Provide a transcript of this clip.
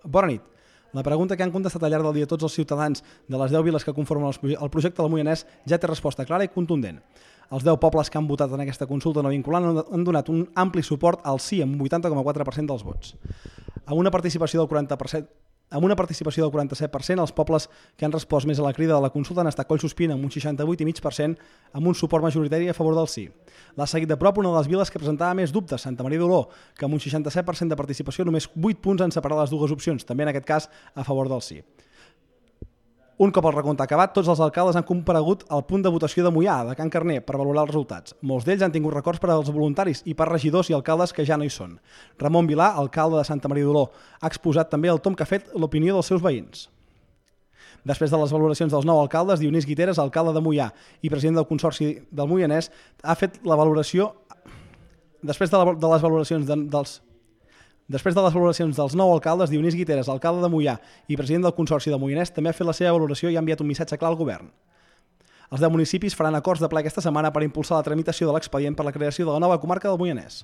Bona nit. La pregunta que han contestat al llarg del dia tots els ciutadans de les 10 viles que conformen el projecte del Moianès ja té resposta clara i contundent. Els 10 pobles que han votat en aquesta consulta no vinculant han donat un ampli suport al sí amb un 80,4% dels vots. Amb una participació del 40%, amb una participació del 47%, els pobles que han respost més a la crida de la consulta han estat Collsospina amb un 68,5% amb un suport majoritari a favor del sí. L'ha seguit de prop una de les viles que presentava més dubtes, Santa Maria d'Oló, que amb un 67% de participació només 8 punts han separat les dues opcions, també en aquest cas a favor del sí. Un cop el recompte acabat, tots els alcaldes han comparegut al punt de votació de Moià, de Can Carner, per valorar els resultats. Molts d'ells han tingut records per als voluntaris i per regidors i alcaldes que ja no hi són. Ramon Vilà, alcalde de Santa Maria d'Oló, ha exposat també el tom que ha fet l'opinió dels seus veïns. Després de les valoracions dels 9 alcaldes, Dionís Guiteres, alcalde de Moià i president del Consorci del Moianès, ha fet la valoració... Després de les valoracions dels 9 alcaldes, Dionís Guiteres, alcalde de Moià i president del Consorci del Moianès, també ha fet la seva valoració i ha enviat un missatge clar al govern. Els 10 municipis faran acords de ple aquesta setmana per impulsar la tramitació de l'expedient per la creació de la nova comarca del Moianès.